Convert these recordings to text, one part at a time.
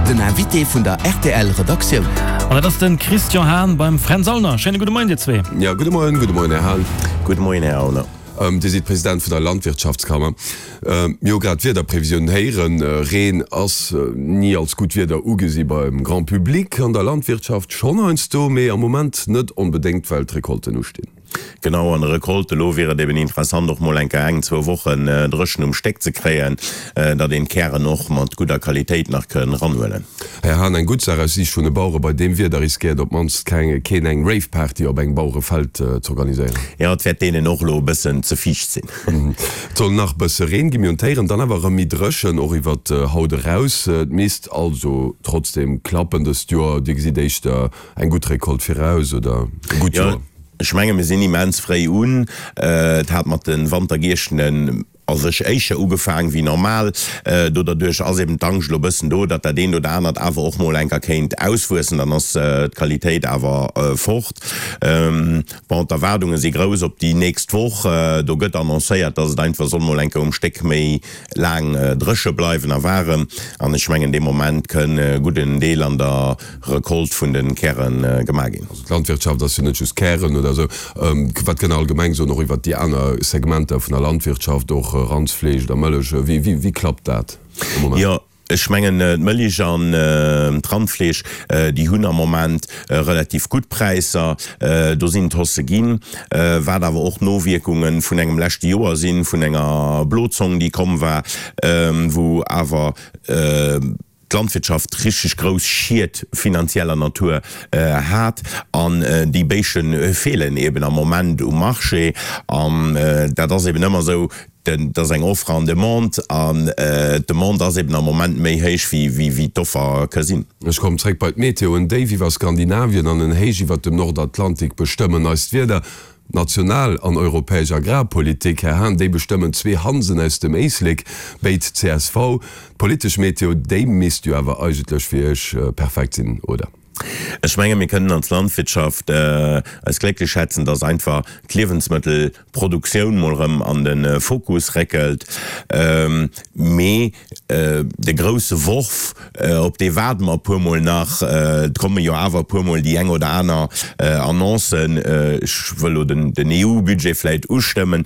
Den Invité vun der rtl Redaktioun. An dat ass de Christian Hahn beim Fränz Aulner. Schéine gudde Moien dir zwee. Jo, gudde Moien, gudde Moien Här Hahn. Gudde Moien Här Aulner. Dir sidd President vun der Landwirtschaftskammer. Mir hu grad d'Wiederprevisiounen héieren. Reen ass ni als gutt Wieder ugesi beim Grand Public, an der Landwirtschaft schonn heiansdo, mee am Moment net onbedéngt, well d'Recolten ustinn. Genau, an der Recolte elo wier et eben interessant och mol eng Kéier eng, zwou Wochen dréchen um Stéck ze kréien, datt een d'Kären och mat gudder Qualitéit nach kënn ranhuelen. Här Hahn, eng gutt Saach aus Siicht vun de Bauere, bei deem Wieder riskéiert op d'mannst keen eng Rave-Party op engem Bauerefeld z'organiséieren. Jo, et wäert deenen och elo e bëssen ze fiicht sinn. Et soll nach bësse Reen ginn, mir hunn d'Héieren, dann awer erëm méi dréchen, och iwwert haut eraus. Et misst also trotzdem klappen dëst Joer. Dir gesitt éischter eng gutt Recolte viraus oder e gutt Joer? Jo, ech menge mir sinn immens fréi un. Et hat mat de Wantergiechtenen a sech éischer ugefaang wéi normal. Do derduerch ass eben d'Angscht elo bëssen do, datt dat eent oder anert awer och mol enker kéint auswuessen. Dann ass d'Qualitéit awer fort. Bon, d'Erwaardunge si grouss op déi nächst Woch. Do gëtt annoncéiert, datt et einfach soll mol enker um Stéck méi laang dréche bleiwen a waarem. An ech mengen, dee Moment kënn e gudden Deel an der Recolte vun de Käre gemaach ginn. Also d'Landwirtschaft ass jo net just Kären oder esou. Wat kënnt Der allgemeng soen, och iwwert déi aner Segmenter vun der Landwirtschaft, och Randsfleesch oder Mëllech? Wéi klappt dat am Moment? Jo, ech mengen d'Mëlich an d'Randfleesch, déi hunn am Moment relativ gutt Präisser. Do sinn d'Haussë ginn, wat awer och Nowierkunge vun engem leschte Joer sinn, vun enger Blozong, déi komm war, wou awer, d'Landwirtschaft richteg grouss Schied finanzieller Natur hat an déi Béische feelen eben am Moment um Marché an dat ass eben ëmmer esou, et ass eng Offre an Demande an d'Demande ass eben am Moment méi héich wéi d'Offer ka sinn. Ech kommen zréck bei d'Meteo. En Déif iwwer Skandinavien an en Héich iwwer dem Nordatlantik bestëmmen eist Wieder. National an europäesch Agrarpolitik, Här Hahn, déi bestëmmen zwee Hansen aus dem Éislek, béid csv. D'politesch Meteo, déi misst jo awer eigentlech fir Iech perfekt sinn, oder? Ech menge mir kënnen als Landwirtschaft eis glécklech schätzen, datt einfach d'Liewensmëttelproduktioun mol erëm an de Fokus réckelt. Mee de grousse Worf, op dee waarde mer e puermol nach. Et komme jo awer e puermol déi eng oder aner Annoncen. Ech wëll elo den EU-Budget vläicht ustëmmen.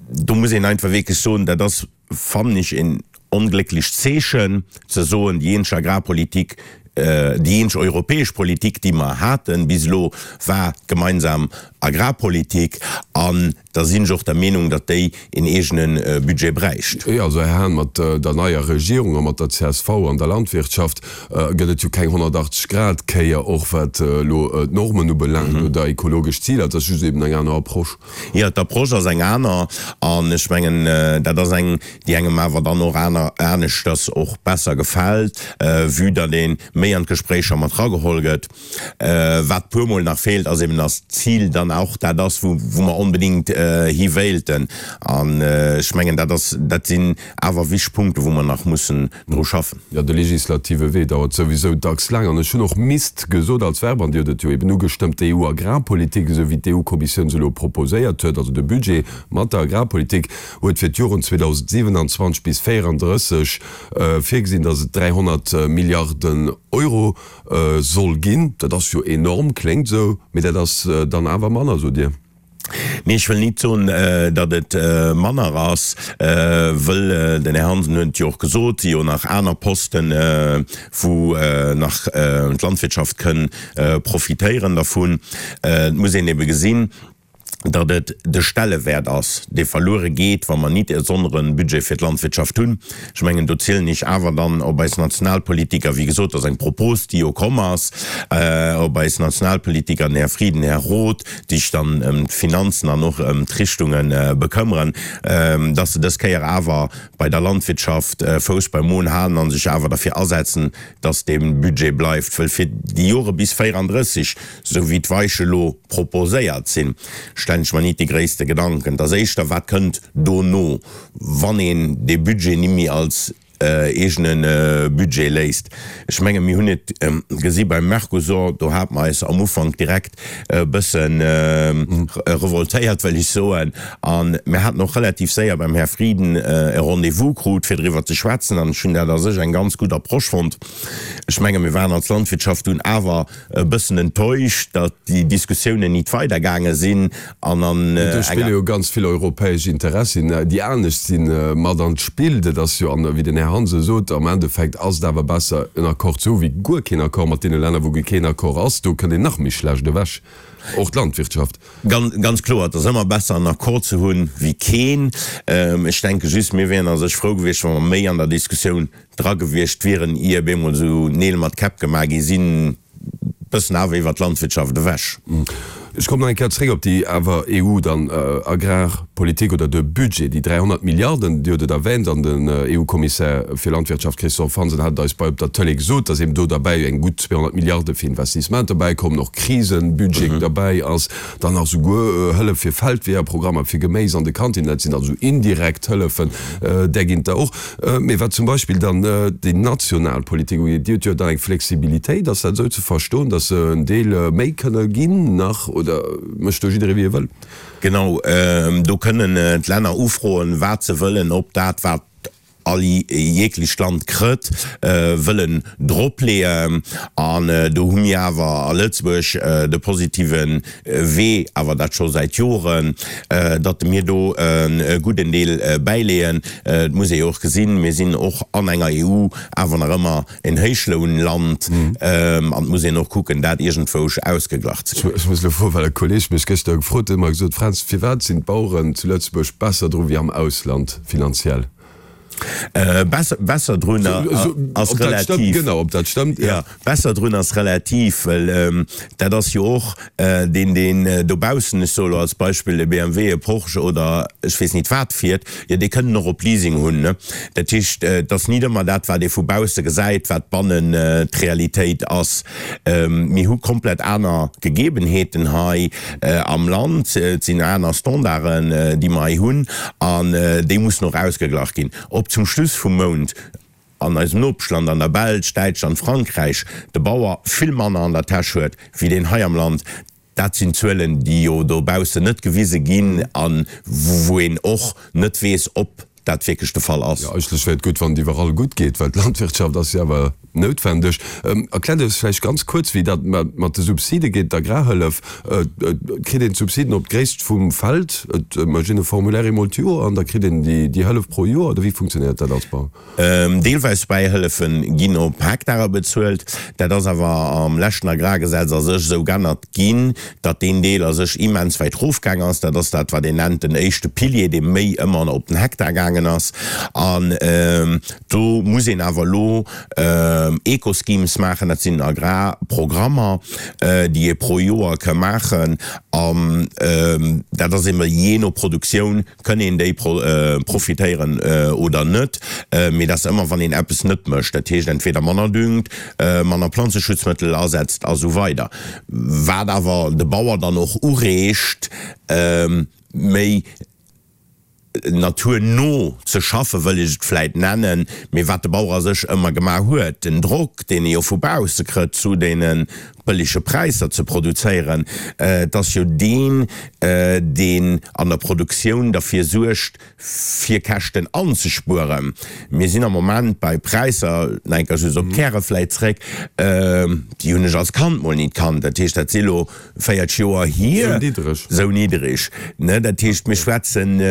Do muss een einfach wierklech soen, dat ass, fannen ech, en onglécklecht Zeechen, ze soen, déi eenzeg Agrarpolitik, déi eenzeg europäesch Politik, déi mer haten bis elo, war d'gemeinsam Agrarpolitik. An da sinn ech och der Meenung, datt déi een eegene Budget bräicht. Jo, also Här Hahn, mat der neier Regierung a mat der csv an der Landwirtschaft gëtt et jo keng 180 Grad Kéier, och wat elo d'Normen ubelaangt oder ekologesch Ziler. Et ass just eben eng aner Approche. Jo, d'Approche ass eng aner an ech mengen, dat ass eng, déi engem awer dann och aner, aneschters och besser gefält, vue datt ee méi an d'Gespréicher mat rageholl gëtt. Wat puermol nach feelt, ass eben, dass d'Zil dann och dat ass, wou mer onbedéngt hi wéilten. An ech mengen, dat ass, dat sinn awer wichteg Punkte, wou mer nach mussen dru schaffen. Jo, de legislative Wee dauert souwisou dacks laang. An ech hunn och misst gesot als Verb, an Dir hutt et jo eben ugestëmmt, d'EU-Agrarpolitik, esou wéi d'EU-Kommissioun se elo proposéiert huet, also de Budget mat der Agrarpolitik, huet fir d'Joren 2027 bis 2034 virgesinn, dass et 300 Milliarden Euro Soll ginn. Dat ass jo enorm, kléngt esou, mee dat ass dann awer manner, sot Dir. Nee, ech wëll nit soen, datt et manner ass, wëll, den Här Hansen huet et jo och gesot, si jo nach aner Posten, wou nach d'Landwirtschaft kënn profitéieren dervun. Et muss een ebe gesinn, datt et de Stellewäert ass, dee verluere geet, wa mer nit e sonnere Budget fir d'Landwirtschaft hunn. Ech mengen, do zielen ech awer dann op eis Nationalpolitiker, wéi gesot, dat ass eng Propos, déi jo komm ass, op eis Nationalpolitiker, den Här Frieden, den Här Roth, déi sech dann ëm d'Finanzen an och ëm d'Richtunge bekëmmeren, datt se dës Kéier awer bei der Landwirtschaft Fouss beim Mon halen a sech awer derfir asetzen, datt dee Budget bleift. Wëll fir déi Jore bis 34, Sou wéi d'Weiche lo proposéiert sinn, stellen ech mer nit déi gréisste Gedanken. Et ass éischter, wat kënnt dono, wann een dee Budget nimmi als. Eegene Budget léisst. Ech menge mir hunn et gesi beim Mercosur, do hate mer eis am Ufank direkt e bësse revoltéiert, wëll ech soen, a mir haten och relativ séier beim Här Frieden e Rendez-vous krut, fir driwwer ze schwätzen, an ech hunn dat a sech eng ganz gutt Approche fonnt. Ech menge mir waren als Landwirtschaft dunn awer e bëssen enttäuscht, datt déi Diskussiounen nit weidergaange sinn an an Mee do spille enger. jo ganz vill europäesch Interessien, déi anescht sinn, mat an d'Spill. Dat ass jo, an wéi den Här Hansen sot, am Endeffekt ass et awer besser en Accord ze hu wéi guer keen Accord mat deene Länner, wou guer keen Accord ass. Do kënnt een nach méi schlecht ewech, och d'Landwirtschaft. Ganz kloer, et ass ëmmer besser en Accord ze hunn wéi keen. Ech denke just, mir wieren a sech frou gewiescht, wa mer méi an der Diskussioun dra gewiescht wieren, ier op eemol esou Neel mat Käpp gemaach gi sinn, bëssen awer iwwert d'Landwirtschaft ewech. Ech kommen nach eng Kéier zréck op déi awer EU dann Agrarpolitik oder de Budget, déi 300 Milliarden, Dir hutt et erwähnt an den EU-Kommissär fir Landwirtschaft Christophe Hansen hat et eis bei op der Tëlee gesot, dass eben do derbäi eng gutt 200 Milliarde fir Investissementer bäikommen, och Krisenbudget derbäi ass, dann nach souguer Hëllef fir Feldweeërprogrammer fir Geméis an de Kantinen, dat sinn also indirekt Hëllefen, där ginn et der och. Mee wat zum Beispill dann déi national Politik ugeet, déi huet jo dann eng Flexibilitéit. Ass dat esou ze verstoen, datt se en Deel méi kënne ginn nach oder mécht do jidderee wéi e wëll? Genau, do kënnen d'Länner ufroen, wat se wëllen, ob dat, wat all jeglecht Land krëtt, wëllen dropleeën. An do hu mir awer a Lëtzebuerg de positive Wee, awer dat scho säit Joren, datt mir do e gudden Deel bäileeën. Et muss ee jo och gesinn, mir sinn och an enger EU awer nach ëmmer en Héichlounland an et muss een och kucken, dat iergendwousch ausgeglach ze kréien. Ech muss elo froen, well e Kolleeg mech gëschter gefrot huet, huet mer gesot, Fränz, firwat sinn d'Baueren zu Lëtzebuerg besser dru wéi am Ausland finanziell? Besser drun ass relativ. Genau, ob dat stëmmt, jo. Besser drun ass relativ, well dat ass jo och deen, deen dobaussen, ech soe lo als Beispill e BMW, e Porsche oder ech weess nit wat fiert, jo dee kënnt en och op Leasing hunn. Dat heescht, et ass nit ëmmer dat, wat ee vu bausse gesäit, wat bannen d'Realitéit ass. Mir hu komplett aner Gegebenheeten hei am Land. Et sinn aner Standarden, déi mer hei hunn, an déi mussen och ausgeglach ginn. Ob zum Schluss vum Mount an eisem Nopeschland, an der Belsch, Däitschland, Frankräich, de Bauer vill manner an der Täsch huet wéi deen hei am Land, dat sinn Zuelen, déi jo dobaussen net gewise ginn a wou een och net weess, ob dat wierklech de Fall ass. Jo, eigentlech wär et gutt, wann et iwwerall gutt geet, well d'Landwirtschaft ass jo awer noutwendeg. Erkläert eis vläicht ganz kuerz, wéi dat mat de Subside geet, d'Agrarhëllef. Kritt een d'Subsiden op d'Gréisst vum Feld? Et mécht een e Formulaire eemol d'Joer an da kritt een déi Hëllef pro Joer, oder wéi funktionéiert dat als Bauer? Deelweis Bäihëllefe ginn op Hektare bezuelt. Dat ass awer am leschten Agrargesetz a sech esou g'ännert ginn, datt deen Deel a sech immens wäit rofgaang ass. Dat ass dat, wat een nennt den éischte Pilier, dee méi ëmmer op den Hektar gaangen ass. An do muss een awer elo Eco-Schemes maachen, dat sinn Agrarprogrammer, déi ee pro Joer ka maachen. An dat ass ebe jee no Produktioun Kënn een déi profitéieren oder net? Mee dat ass ëmmer, wann een eppes net mécht, dat heescht entweder manner düngt, manner Planzeschutzmëttel asetzt a sou weider. Wat awer de Bauer dann och ureegt, méi naturno ze schaffen, wëll ech et vläit nennen, mee wat de Bauer a sech ëmmer gemaach huet, den Drock, deen e jo vu bausse krëtt zu deene bëllege Präisser ze produzéieren, et ass jo deen, deen an der Produktioun derfir suergt, fir Käschten anzespueren. Mir sinn am Moment bei Präisser, nach eng Kéier just op d'Käre vläit zréck, déi hunn ech als Kand mol nit kannt, dat heescht, dat si lo 40 Joer hier, esou niddreg, ne? Dat heescht, mir schwätzen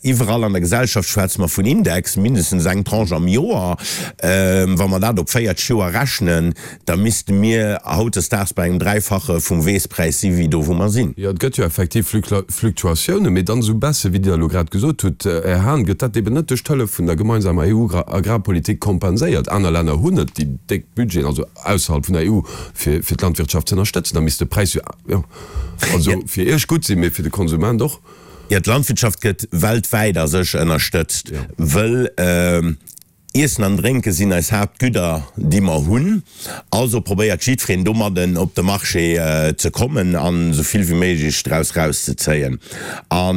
iwwerall an der Gesellschaft schwätze mer vun Index, mindestens eng Tranche am Joer. Wa mer dat op 40 Joer rechnen, da misste mir hautdesdaags bei engem Dräifache vum Weesspräis si wéi do wou mer sinn. Jo, et gëtt jo effektiv Fluktuatiounen, mee dann esou besse wéi Dir elo grad gesot hutt, Här Hahn, gëtt dat eben net duerch d'Hëllef vun der gemeinsamer EU-Agrarpolitik kompenséiert. Aner Länner hunn net déi déck Budgeten, also ausserhalb vun der EU, fir fir d'Landwirtschaft ze ënnerstëtzen. Da misst de Präis jo, jo, also fir Iech gutt sinn, mee fir de Konsument och. Jo, d'Landwirtschaft gëtt weltwäit a sech ënnerstëtzt, wëll Iessen an Drénke sinn eis Haaptgüder, déi mer hunn. Also probéiert jiddwereen domadden op de Marché ze kommen an esou vill wéi méiglech draus rauszezéien. A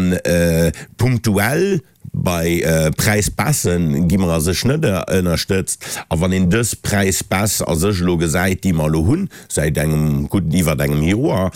punktuell. Bei Präisbaisse gi mer a sech net ënnerstëtzt. A wann een dës Präisbaisse a sech elo gesäit, déi mer elo hunn säit engem gudden, iwwert engem Joer,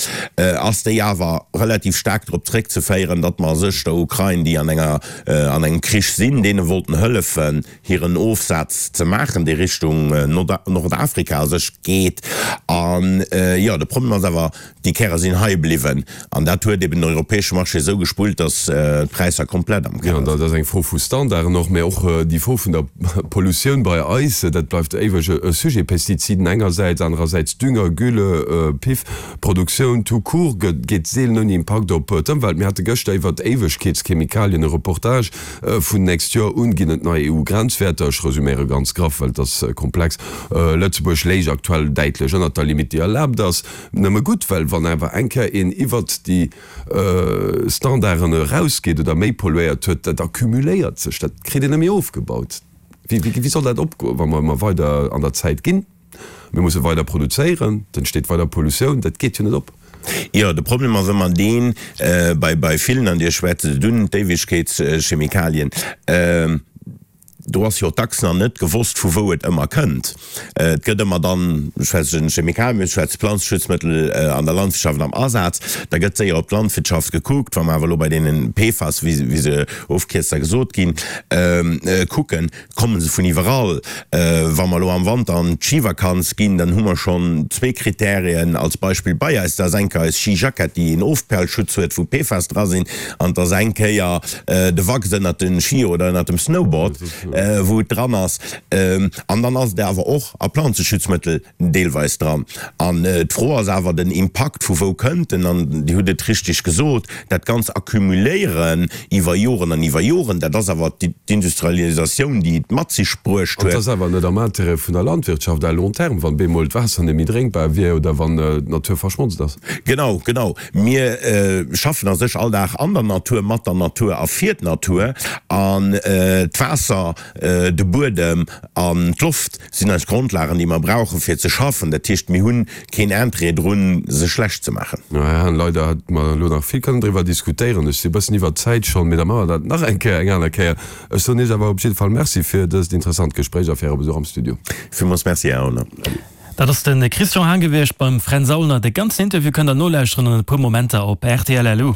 ass déi awer relativ staark drop zréckzeféieren, datt mer a sech der Ukrain, déi an enger, an engem Krich sinn, deene wollten hëllefen, hiren Ofsaz ze maachen, dee Richtung Nordafrika a sech geet. An, jo, de Problem ass awer, Déi Käre sinn hei bliwwen an dat huet eben den europäesche Marché esou gespullt, datt d'Präisser komplett am Keller sinn. Jo, dat ass eng Fro vu Standarden och, mä och déi Fro vun der Pollutioun bei eis, dat bleift éiweg e Sujet. Pestiziden engersäits, anerersäits Dünger, Gülle, Piff, Produktioun tout court geet seelen ouni Impakt op d'Ëmwelt. Mir hate gëschter iwwert Éiwegkeetschemikalien e Reportage. Vun nächst Joer un ginn et nei EU-Grenzwäerter. Ech resuméiere ganz graff, well et ass komplex. Lëtzebuerg léich aktuell däitlech ënnert der Limite, déi erlaabt ass. Nëmme gutt, well wann awer eng Kéier een iwwert déi Standarden erausgeet oder méi polluéiert huet, dat accumuléiert sech, dat kritt een net méi ofgebaut. Wéi soll dat opgoen, wa mer ëmmer weider an der Zäit ginn? Mir musse weider produzéieren, et entsteet weider Pollutioun, dat geet jo net op. Jo, de Problem ass ëmmer deen, bei villen, an Dir schwätzt et un, d'Éiwegkeetschemikalien, Do ass jo dacks nach net gewosst, vu wou et ëmmer kënnt. Et gëtt ëmmer dann, ech schwätzen Chemikalien, ech schwätze Planzeschutzmëttel an der Landwirtschaft am Asaz, da gëtt séier op d'Landwirtschaft gekuckt. Wa mer awer elo bei deene PFAS, wéi se ofgekierzt da gesot ginn, kucken, komme se vun iwwerall. Wa mer elo am Wanter an d'Schivakanz ginn, dann hu mer schonn zwee Kriterien als Beispill bei eis. Dat ass eng Kéier eis Skijackett, déi een Ofperlschutz huet, wou PFAS dra sinn, an et ass eng Kéier de Wachs ënnert de Skier oder ënnert dem Snowboard, wou et dran ass. An dann ass et awer och a Planzeschutzmëttel deelweis dran. An d'Fro ass awer den Impakt, vu wou kënnt en? An Dir hutt et richtig gesot, dat ganz Accumuléieren iwwer Joren an iwwer Joren, dat ass awer d'Industrialisatioun, déi et mat sech bruecht An et huet. ass awer net am Intérêt vun der Landwirtschaft à long terme, wann bemol d'Waasser net méi drénkbar wier oder wann d'Natur verschmotzt ass. Genau, genau. Mir schaffen a sech all Dag an der Natur, mat der Natur a fir d'Natur. An d'Waasser, de Buedem an d'Loft sinn eis Grondlagen, déi mer brauchen, fir ze schaffen. Dat heescht, mir hunn keen Interêt drun, se schlecht ze maachen. Här Hahn, leider hätte mer elo nach vill kënnen driwwer diskutéieren. Ech si e bëssen iwwer d'Zäit schonn, mee da maache mer dat nach eng Kéier eng aner Kéier. Ech soen Iech awer op jidde Fall Merci fir dëst interessant Gespréich a fir Äre Besuch am Studio. Villmools Merci, Här Aulner. Salut. Dat ass de Christian Hahn gewiescht beim Fränz Aulner. De ganzen Interview kënnt der nolauschteren an e puer Momenter op rtl. Lu.